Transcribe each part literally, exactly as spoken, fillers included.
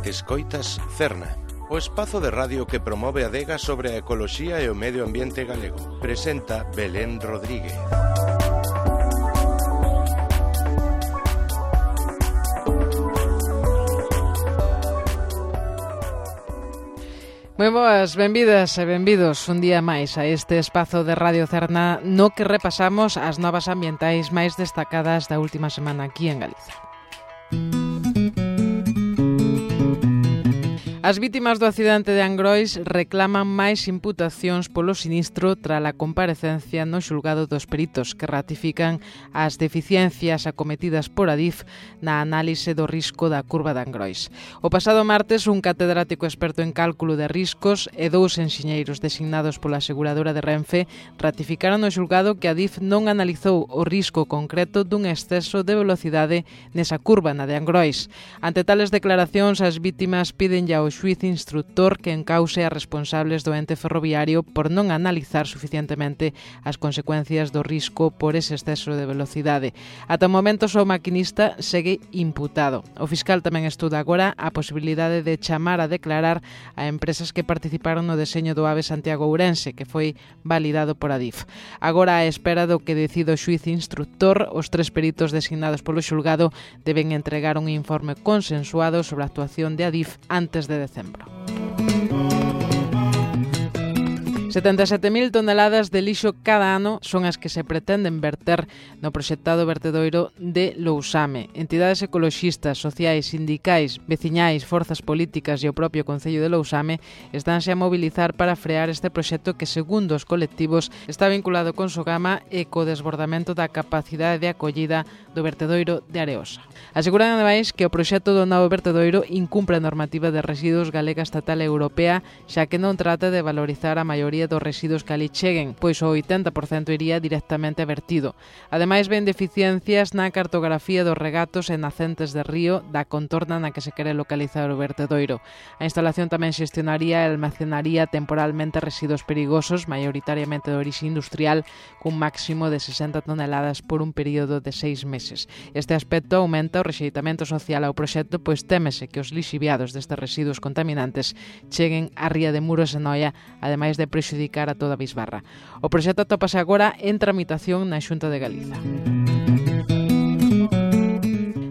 Escoitas Cerna, o espazo de radio que promove a adega sobre a ecoloxía e o medio ambiente galego. Presenta Belén Rodríguez. Moi boas, benvidas e benvidos un día máis a este espazo de Radio Cerna no que repasamos as novas ambientais máis destacadas da última semana aquí en Galicia. As vítimas do accidente de Angrois reclaman máis imputacións polo sinistro tras a comparecencia no xulgado dos peritos que ratifican as deficiencias acometidas por Adif na análise do risco da curva de Angrois. O pasado martes, un catedrático experto en cálculo de riscos e dous enxeñeiros designados pola aseguradora de Renfe ratificaron no xulgado que Adif non analizou o risco concreto dun exceso de velocidade nesa curva na de Angrois. Ante tales declaracións, as vítimas piden ao xuíz instructor que encause a responsables do ente ferroviario por non analizar suficientemente as consecuencias do risco por ese exceso de velocidade. Ata o momento, só o maquinista segue imputado. O fiscal tamén estuda agora a posibilidade de chamar a declarar a empresas que participaron no deseño do AVE Santiago-Ourense, que foi validado por Adif. Agora, á espera do que decida o xuíz instructor, os tres peritos designados polo xulgado deben entregar un informe consensuado sobre a actuación de Adif antes de decembro. setenta e sete mil toneladas de lixo cada ano son as que se pretenden verter no proxectado vertedoiro de Lousame. Entidades ecoloxistas, sociais, sindicais, veciñais, forzas políticas e o propio Concello de Lousame estánse a mobilizar para frear este proxecto que, segundo os colectivos, está vinculado con Sogama e co desbordamento da capacidade de acollida do vertedoiro de Areosa. Aseguran, ademais, que o proxecto do novo vertedoiro incumpre a normativa de residuos galega, estatal e europea, xa que non trata de valorizar a maioría dos residuos que ali cheguen, pois o oitenta por cento iría directamente vertido. Ademais, ven deficiencias na cartografía dos regatos e nacentes de río da contorna na que se quere localizar o vertedoiro. A instalación tamén xestionaría e almacenaría temporalmente residuos perigosos, maioritariamente de orixe industrial, cun máximo de sesenta toneladas por un período de seis meses. Este aspecto aumenta o rexeitamento social ao proxecto, pois témese que os lixiviados destes residuos contaminantes cheguen á ría de Muros e Noia, ademais de prexudicar a toda a bisbarra. O proxecto atópase agora en tramitación na Xunta de Galiza.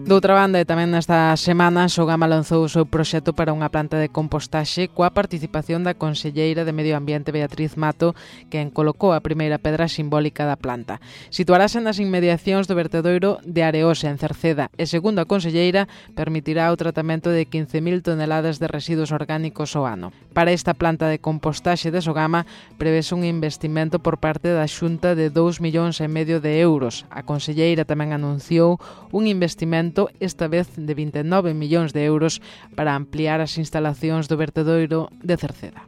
Doutra banda, e tamén nesta semana, Sogama lanzou o seu proxecto para unha planta de compostaxe coa participación da conselleira de Medio Ambiente Beatriz Mato, quen colocou a primeira pedra simbólica da planta. Situarase nas inmediacións do vertedoiro de Areosa, en Cerceda, e, segundo a conselleira, permitirá o tratamento de quince mil toneladas de residuos orgánicos ao ano. Para esta planta de compostaxe de Sogama prevese un investimento por parte da Xunta de dous millóns e medio de euros. A conselleira tamén anunciou un investimento esta vez de vinte e nove millóns de euros para ampliar as instalacións do vertedoiro de Cerceda.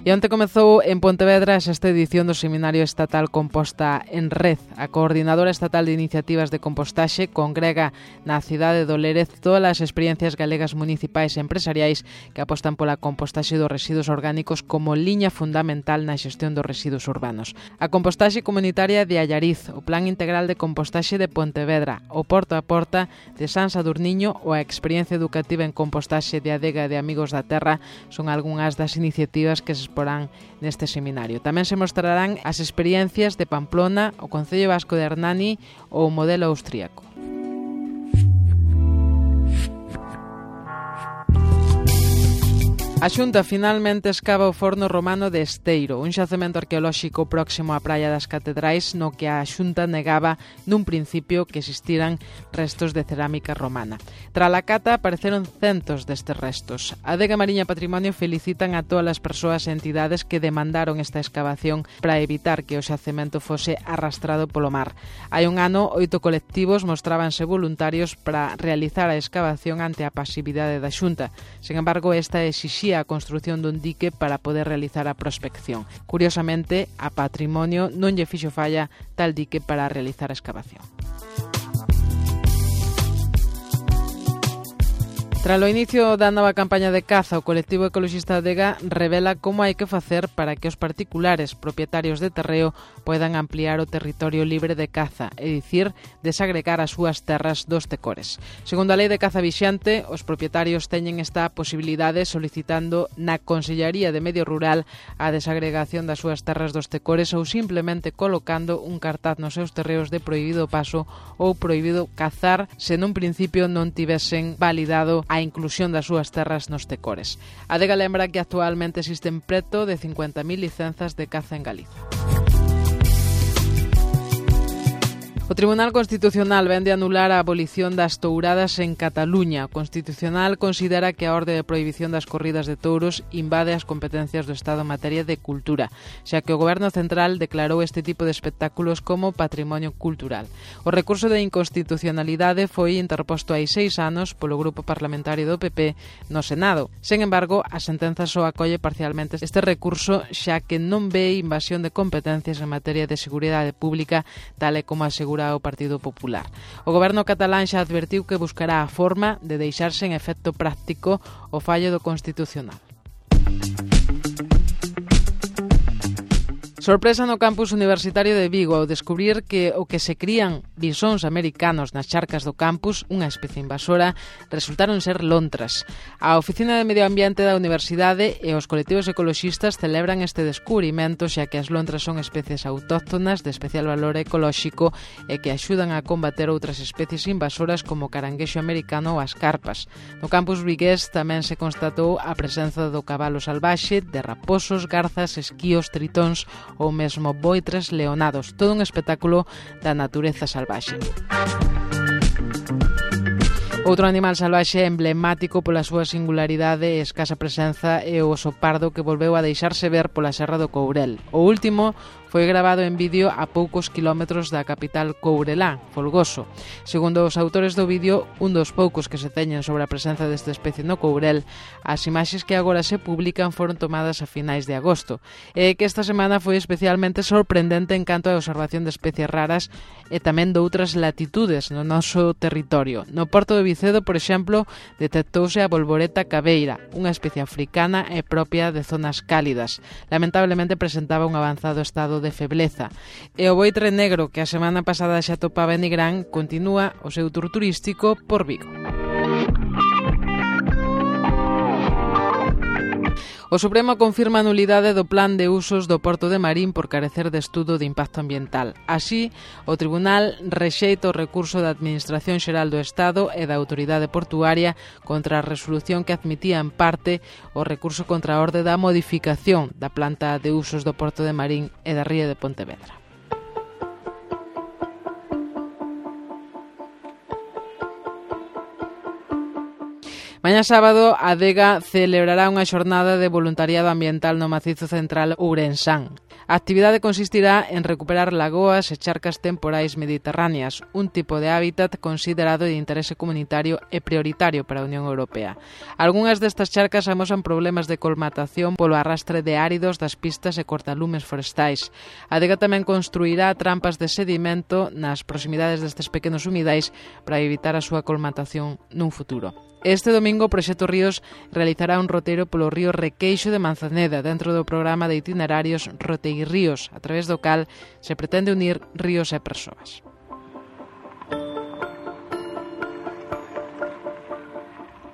E onte comezou en Pontevedra esta edición do Seminario Estatal Composta en Red. A Coordinadora Estatal de Iniciativas de Compostaxe congrega na cidade do Lérez todas as experiencias galegas municipais e empresariais que apostan pola compostaxe dos residuos orgánicos como liña fundamental na xestión dos residuos urbanos. A compostaxe comunitaria de Allariz, o Plan Integral de Compostaxe de Pontevedra, o Porta a Porta de San Sadurniño ou a experiencia educativa en compostaxe de Adega de Amigos da Terra son algunhas das iniciativas que se porán neste seminario. Tamén se mostrarán as experiencias de Pamplona, o Concello Vasco de Hernani ou o modelo austríaco. A Xunta finalmente escava o forno romano de Esteiro, un xacemento arqueolóxico próximo á Praia das Catedrais, no que a Xunta negaba nun principio que existiran restos de cerámica romana. Tras a cata apareceron centos destes restos. A Adega Mariña Patrimonio felicitan a todas as persoas e entidades que demandaron esta excavación para evitar que o xacemento fose arrastrado polo mar. Hai un ano, oito colectivos mostrábanse voluntarios para realizar a excavación ante a pasividade da Xunta. Sen embargo, esta exixía a construción dun dique para poder realizar a prospección. Curiosamente, a Patrimonio non lle fixo falla tal dique para realizar a excavación. Tras o inicio da nova campaña de caza, o colectivo ecoloxista Adega revela como hai que facer para que os particulares propietarios de terreo poidan ampliar o territorio libre de caza, é dicir, desagregar as súas terras dos tecores. Segundo a lei de caza vixante, os propietarios teñen esta posibilidade solicitando na Consellaría de Medio Rural a desagregación das súas terras dos tecores ou simplemente colocando un cartaz nos seus terreos de prohibido paso ou prohibido cazar se nun principio non tivesen validado a inclusión das súas terras nos tecores. A Adega lembra que actualmente existen preto de cincuenta mil licenzas de caza en Galiza. O Tribunal Constitucional vén de anular a abolición das touradas en Cataluña. O Constitucional considera que a orde de prohibición das corridas de touros invade as competencias do Estado en materia de cultura, xa que o Goberno Central declarou este tipo de espectáculos como patrimonio cultural. O recurso de inconstitucionalidade foi interposto hai seis anos polo Grupo Parlamentario do P P no Senado. Sen embargo, a sentenza só acolle parcialmente este recurso, xa que non ve invasión de competencias en materia de seguridade pública, tal e como asegura o Partido Popular. O Goberno catalán xa advertiu que buscará a forma de deixarse en efecto práctico o fallo do Constitucional. Sorpresa no campus universitario de Vigo ao descubrir que o que se crían bisóns americanos nas charcas do campus, unha especie invasora, resultaron ser lontras. A Oficina de Medio Ambiente da Universidade e os colectivos ecoloxistas celebran este descubrimento, xa que as lontras son especies autóctonas de especial valor ecolóxico e que axudan a combater outras especies invasoras como o caranguexo americano ou as carpas. No campus vigués tamén se constatou a presenza do cabalo salvaxe, de raposos, garzas, esquíos, tritóns ou mesmo boitres leonados, todo un espectáculo da natureza salvaxe. Outro animal salvaxe emblemático pola súa singularidade e escasa presenza é o oso pardo que volveu a deixarse ver pola Serra do Courel. O último foi gravado en vídeo a poucos kilómetros da capital courelá, Folgoso. Segundo os autores do vídeo, un dos poucos que se teñen sobre a presenza desta especie no Courel, as imaxes que agora se publican foron tomadas a finais de agosto, e que esta semana foi especialmente sorprendente en canto a observación de especies raras e tamén de outras latitudes no noso territorio. No Porto de Vicedo, por exemplo, detectouse a bolboreta cabeira, unha especie africana e propia de zonas cálidas. Lamentablemente presentaba un avanzado estado de febleza. E o boitre negro, que a semana pasada xa topaba en Nigrán, continúa o seu tour turístico por Vigo. O Supremo confirma a nulidade do plan de usos do Porto de Marín por carecer de estudo de impacto ambiental. Así, o Tribunal rexeita o recurso da Administración Xeral do Estado e da Autoridade Portuaria contra a resolución que admitía en parte o recurso contra a orde da modificación da planta de usos do Porto de Marín e da Ría de Pontevedra. Mañá sábado, a Adega celebrará unha xornada de voluntariado ambiental no macizo central ourensán. A actividade consistirá en recuperar lagoas e charcas temporais mediterráneas, un tipo de hábitat considerado de interese comunitario e prioritario para a Unión Europea. Algúnas destas charcas amosan problemas de colmatación polo arrastre de áridos das pistas e cortalumes forestais. A Adega tamén construirá trampas de sedimento nas proximidades destes pequenos humidais para evitar a súa colmatación nun futuro. Este domingo o Proxecto Ríos realizará un roteiro polo río Requeixo de Manzaneda dentro do programa de itinerarios Roteirríos, a través do cal se pretende unir ríos e persoas.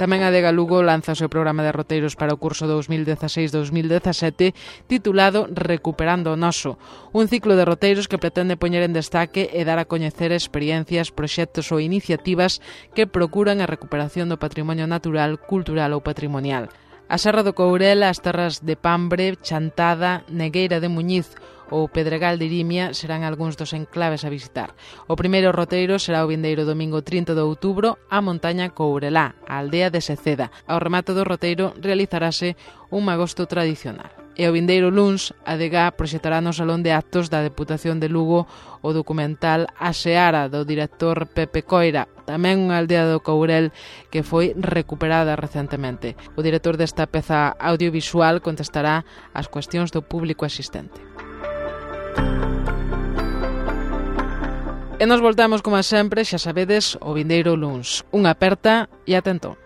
Tamén a Adega Lugo lanza o seu programa de roteiros para o curso dous mil dezaseis dous mil dezasete titulado Recuperando o Noso, un ciclo de roteiros que pretende poñer en destaque e dar a coñecer experiencias, proxectos ou iniciativas que procuran a recuperación do patrimonio natural, cultural ou patrimonial. A Serra do Courel, as terras de Pambre, Chantada, Negueira de Muñiz ou Pedregal de Irimia serán algúns dos enclaves a visitar. O primeiro roteiro será o vindeiro domingo trinta de outubro a montaña Courelá, a aldea de Seceda. Ao remate do roteiro realizarase un magosto tradicional. E o vindeiro luns, a Adega proxectará no Salón de Actos da Deputación de Lugo o documental A Seara do director Pepe Coira, tamén unha aldea do Courel que foi recuperada recentemente. O director desta peza audiovisual contestará as cuestións do público asistente. E nos voltamos, como sempre, xa sabedes, o vindeiro luns. Unha aperta e atento.